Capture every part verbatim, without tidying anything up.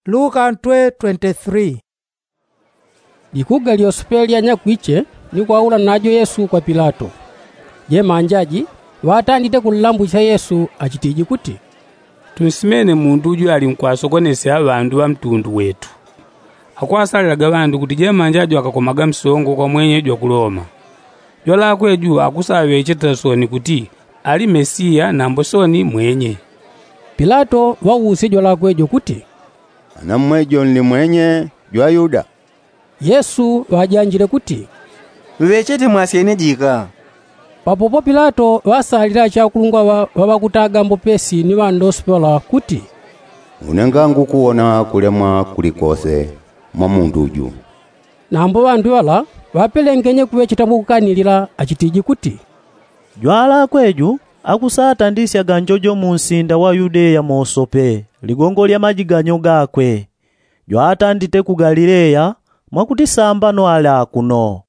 Luka ntwe twenty three. Likuga lyosepe lyanyakwiche ni kwaula najo yesu kwa pilato. Jemanja ji ŵatandite kunlambusya yesu achitiji kuti, tunsimene mundu uju ali nkwasokonesya ŵandu ŵa mtundu wetu. Akwasalilaga ŵandu kuti jemanja jo akakomaga msongo kwa mwenye jwa ku loma. Jwalakwe ju akusaŵecheta soni kuti ali mesiya nambo soni mwenye. Pilato ŵausye jwalakwe jo kuti, anamwe jo nli mwenye jwa yuda? Yesu ŵajanjile kuti, ŵechete mwasyene jika. Papopo pilato ŵasalile achakulungwa ŵa ŵakutaga mbopesi ni ŵandosi ŵala kuti, une ngangukuwona kulemwa kulikose mwa mundu ju. Nambo ŵandu ŵala ŵapelengenye kuŵecheta mwakukanilila achitiji kuti, jwalakwe ju akusatandisyaga njojo mu nsinda wa yudeya mosope ligongo lya majiganyo gakwe. Jwatandite ku galileya mwakuti sambano ali akuno.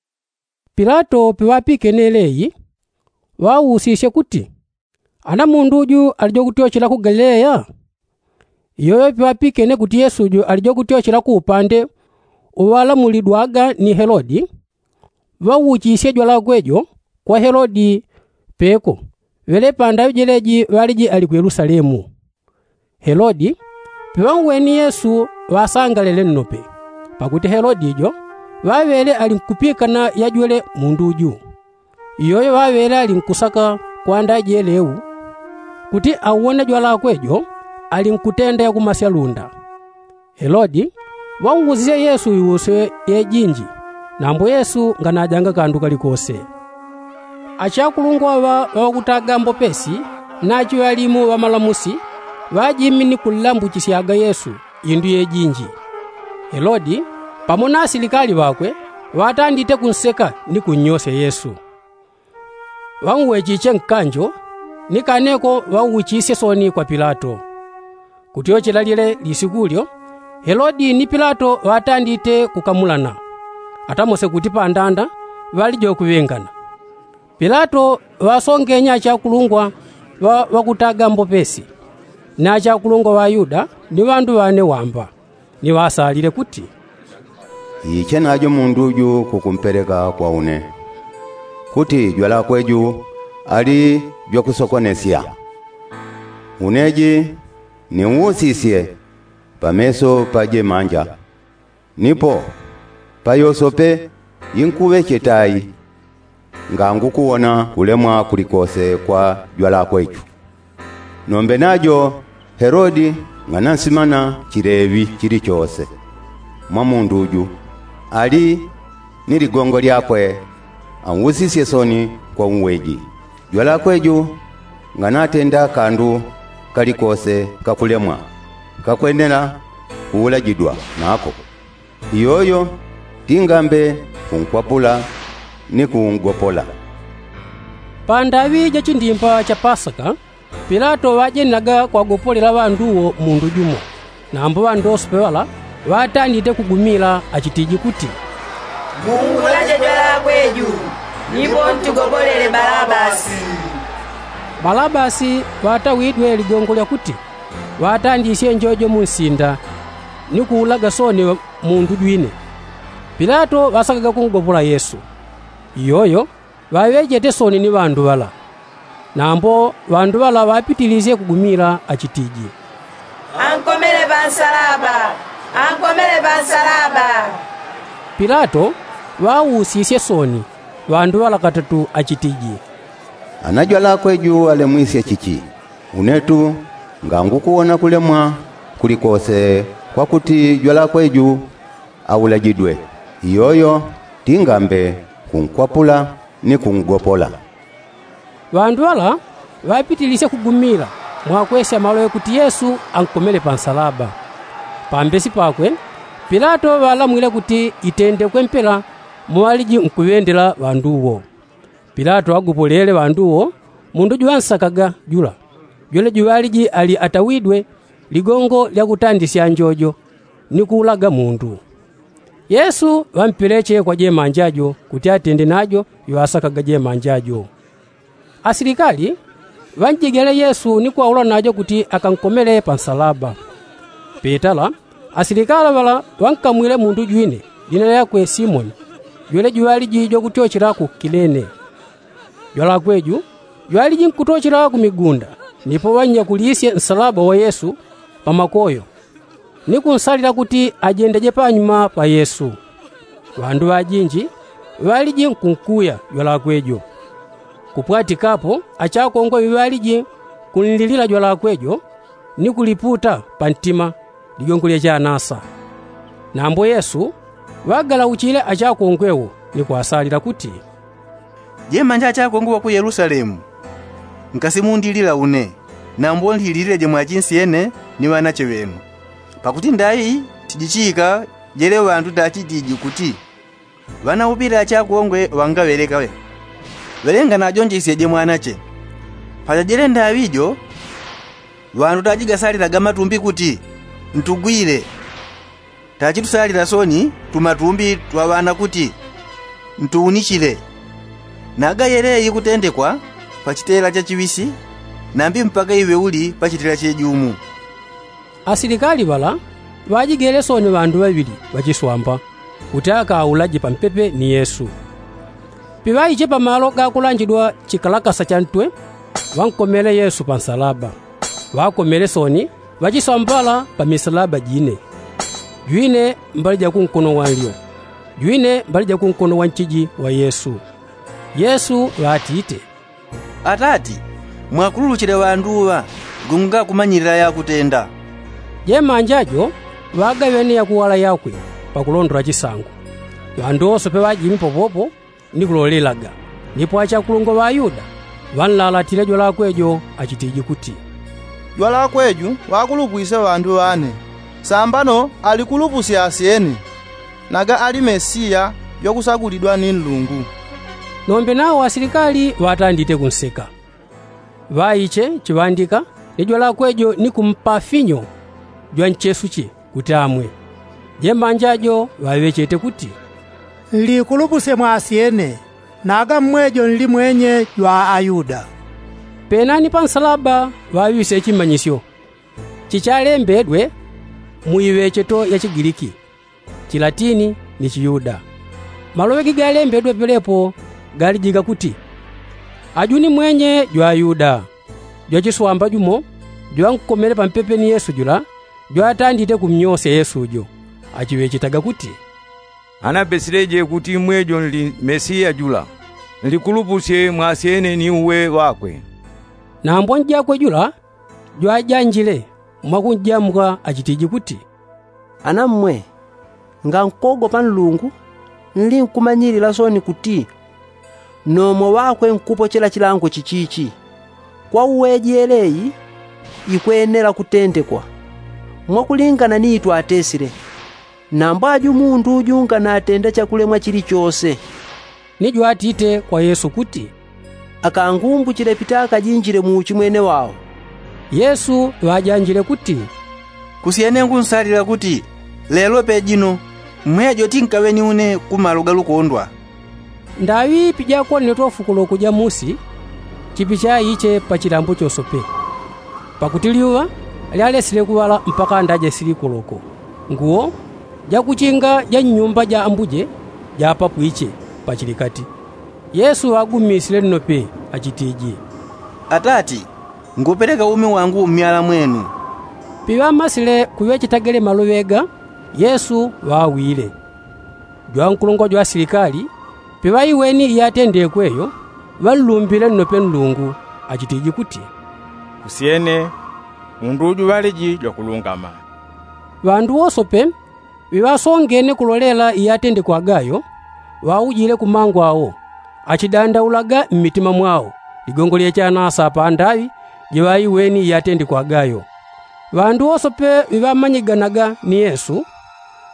Pilato piŵapikene leyi ŵausisye kuti, ana mundu uju ali jokutyochela ku galileya? Iyoyo piŵapikene kuti yesu uju ali jokutyochela ku upande uŵalamulidwaga ni helodi, ŵauchisye jwalakwe jo kwa helodi peko ŵele pandaŵi jeleji ŵaliji ali ku yelusalemu. Helodi piŵauweni yesu ŵasangalele nnope, pakuti helodi jo ŵaŵele ali nkupikana yajwele mundu uju. Iyoyo ŵaŵele ali nkusaka kwanda jeleu kuti auwone jwalakwe jo ali nkutenda yakumasya lunda. Helodi ŵausisye yesu iusyo yejinji, nambo yesu nganajanga kandu kalikose. Achakulungwa ŵa ŵakutaga mbopesi na achiŵalimu ŵamalamusi ŵajimini kunlambuchisyaga yesu indu yejinji. Helodi pamo na asilikali ŵakwe ŵatandite kunseka ni kunnyosya yesu. Ŵauwechiche nkanjo ni kaneko ŵauchisye soni kwa pilato. Kutyochela lyele lisiku lyo helodi ni pilato ŵatandite kukamulana, atamose kuti pandanda ŵali jokuŵengana. Pilato ŵasongenye achakulungwa ŵa ŵakutaga mbopesi na achakulungwa ŵa yuda ni ŵandu ŵane wamba, ni ŵasalile kuti, iiche najo mundu uju kukumpeleka kwa une, kuti jwalakwe ju ali jwakusokonesya. Une ji niusisye pameso pa jemanja, nipo pa yosope inkuŵecheta i, ngangukuwona kulemwa kulikose kwa jwalakwe ju. Nombe najo helodi ng'anansimana chileŵi chilichose mwa mundu ju ali ni ligongo lyakwe, ausisye soni kwa uweji. Jwalakwe ju ng'anatenda kandu kalikose kakulemwa kakwenela kuulajidwa nako. Iyoyo tingambe kunkwapula ni kungopola. Pandaŵi ja chindimba cha pasaka pilato ŵajenelaga kwagopolela ŵandu wo mundu jumo. Nambo ŵandosope ŵala ŵatandite kugumila achitiji kuti, mungulaje jwalakwe ju, nipo ntugobolele balabasi. Balabasi ŵatawidwe ligongo lyakuti ŵatandisye njojo mu nsinda ni kuulaga soni mundu jwine. Pilato ŵasakaga kungopola yesu. Iyoyo ŵaŵechete soni ni ŵandu ŵala. Nambo ŵandu ŵala ŵapitilisye kugumila achitiji, ankomele pansalaba, ankomele pansalaba. Pilato ŵausisye soni ŵandu ŵala katatu achitiji, ana jwalakwe ju alemwisye chichi? Unetu ngangukuwona kulemwa kulikose kwakuti jwalakwe ju aulajidwe. Iyoyo tingambe kunkwapula ni kungopola. Ŵandu ŵala ŵapitilisye kugumila mwakwesya maloŵe kuti yesu ankomele pansalaba. Pambesi pakwe pilato ŵalamwile kuti itendekwe mpela muŵaliji nkuŵendela ŵandu wo. Pilato agopolele ŵandu wo mundu juŵansakaga jula jwele juŵaliji ali atawidwe ligongo lyakutandisya njojo ni kuulaga mundu. Yesu ŵampeleche kwa jemanja jo kuti atende najo iŵasakaga jemanja jo. Asilikali ŵanjegele yesu ni kwaula najo kuti akankomele pansalaba. Petala Asilikali ŵala ŵankamwile mundu jwine, lina lyakwe simoni, jwele jwaliji jwakutyochela ku kilene. Jwalakwe ju jwaliji nkutyochela ku migunda, nipo ŵannyakulisye nsalaba wa yesu pa makoyo, ni kunsalila kuti ajendeje panyuma pa yesu. Ŵandu ŵajinji ŵaliji nkunkuya jwalakwe jo. Kupwatikapo achakongwe ŵiŵaliji kunlilila jwalakwe jo, ni kuliputa pa ntima ligongo lya chanasa. Nambo yesu ŵagalauchile achakongwe wo, ni kwasalila kuti, jemanja achakongwe ŵa ku yelusalemu, nkasimundilila une, nambo nlilileje mwachinsyene ni ŵanache ŵenu. Pakuti ndaŵi tijichika jele ŵandu ndachitiji kuti, ŵanaupile achakongwe ŵangaŵeleka ŵe, ŵelengana ajonjesyeje mwanache. Pachajele ndaŵi jo, ŵandu tajigasalilaga matumbi kuti, ntugwile. Tachitusalila soni tumatumbi twa ŵana kuti, ntuunichile. Naga yeleyi kutendekwa pa chitela chachiŵisi, nambi mpaka iŵe uli pa chitela chejumu. Asilikali ŵala ŵajigele soni ŵandu ŵaŵili ŵachiswamba, kuti akaulaje pampepe ni yesu. Piŵaiche pamalo gakulanjidwa chikalakasa cha ntwe, ŵankomele yesu pa nsalaba. Ŵakomele soni ŵachiswamba ŵala pa misalaba jine, jwine mbali ja kunkono wa nlyo, jwine mbali ja kunkono wa nchiji wa yesu. Yesu ŵatite, atati, mwakululuchile ŵandu ŵa, gongo ngakumanyilila yakutenda. Jemanja jo ŵagaŵene yakuwala yakwe, pakulondola chisango. Ŵandu wose pe ŵajimi popopo ni kulolelaga. Nipo achakulungwa ŵa ayuda ŵanlalatile jwalakwe jo, achitiji kuti, jwalakwe ju ŵakulupwisye ŵandu ŵane, sambano alikulupusye asyene, naga ali mesiya jwakusagulidwa ni nlungu. Nombe nawo asilikali ŵatandite kunseka. Ŵaiche chiŵandika ni jwalakwe jo ni kumpa finyo jwa nchesuche kuti amwe. Jemanja jo ŵaŵechete kuti, nlikulupusye mwasyene, naga mmwe jo nli mwenye jwa ayuda. Penani pa nsalaba ŵaŵise chimanyisyo chichalembedwe mu iŵecheto ya chigiliki, chilatini, ni chiyuda. Maloŵe gigalembedwe pelepo galijika kuti, aju ni mwenye jwa ayuda. Jwachiswamba jumo jwankomele pampepe ni yesu jula, jwatandite kumnyosya yesu jo, achiŵechetaga kuti, anapesileje kuti mmwe jo nli mesiya jula, nlikulupusye mwasyene ni uwe ŵakwe. Nambo njakwe jula jwajanjile mwakunjamka achitiji kuti, ana mmwe, ngankogopa nlungu, nlinkumanyilila soni kuti, nomo ŵakwe nkupochela chilango chichichi. Kwa uwe jeleyi ikwenela kutendekwa mwakulingana ni itwatesile. Nambo aju mundu uju nganatenda chakulemwa chilichose. Ni jwatite kwa yesu kuti, akangumbuchile pita akajinjile mu uchimwene wao. Yesu ŵajanjile kuti, kusyene ngunsalila kuti, lelo pejino mmwe jo tinkaŵe ni une ku malo ga lukondwa. Ndaŵi pijakonetwa fukuloko ja musi, chipichaiche pa chilambo chosope. Pakuti lyuŵa lyalesile kuŵala mpaka ndajesili kuloko, nguwo jakuchinga ja nnyumba ja ambuje japapwiche pachilikati. Yesu ŵagumisile nnope achitiji, atati, ngupeleka umi wangu mmyala mwenu. Piŵamasile kuŵecheta gele maloŵe ga, yesu ŵawile. Jwankulungwa jwa asilikali piŵaiweni iyatendekwe yo, ŵanlumbile nnope nlungu, achitiji kuti, kusyene, mundu uju ŵaliji jwakulungama. Ŵandu wosope ŵiŵasongene kulolela iyatendekwaga yo, ŵaujile kumango awo, achidandaulaga mmitima mwao ligongo lyechanasa pandaŵi jiŵaiweni iyatendekwaga yo. Ŵandu wosope ŵiŵamanyiganaga ni yesu,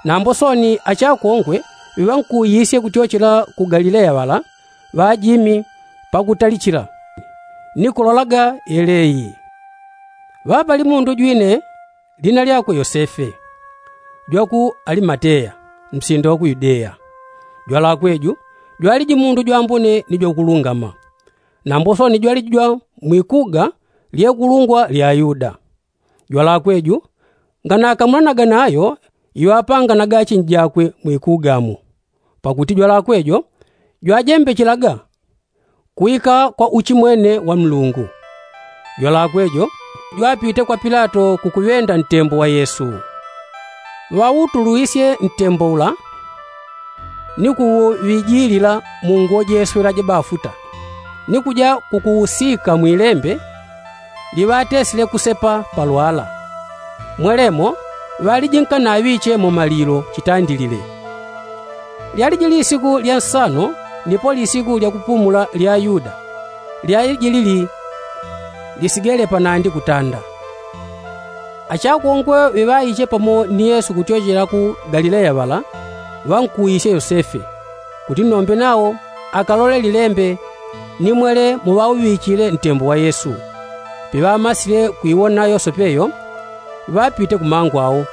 nambo soni achakongwe ŵiŵankuuyisye kutyochela ku galileya ŵala, ŵajimi pakutalichila ni kulolaga yeleyi. Ŵapali mundu jwine lina lyakwe yosefe, jwa ku alimateya, msinda wa ku yudeya. Jwalakwe ju jwaliji mundu jwambone ni jwakulungama, nambo soni jwaliji jwa mwikuga lyekulungwa lya ayuda. Jwalakwe ju nganakamulanaga nayo Iŵapanganaga achinji jakwe mwikugamo, pakuti jwalakwe jo jwajembechelaga kuwika kwa uchimwene wa nlungu. Jwalakwe jo jwapite kwa pilato kukuŵenda ntembo wa yesu. Ŵautulwisye ntembo ula ni kuuŵijilila mu nguwo jeswela jabafuta, ni kuja kukuusika mwilembe liŵatesile kusepa palwala. Mwelemo ŵalijinkanaaŵiche mu malilo chitandilile. Lyaliji lisiku lya nsano nipo lisiku lya kupumula lya ayuda, lyaliji lili lisigele panandi kutanda. Achakongwe ŵiŵaiche pamo ni yesu kutyochela ku galileya ŵala ŵankuwisye yosefe kuti nombe nao akalole lilembe ni mwele muŵauŵichile ntembo wa yesu. Piŵamasile kwiwona yosefe yo ŵapite kumangu ao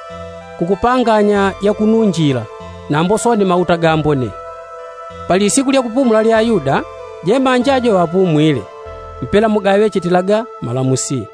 kukupanganya yakununjila nambo soni mauta gambone. Pali siku lya kupumula lya ayuda jemanja jo ŵapumwile mpela mugaŵechetilaga malamusi.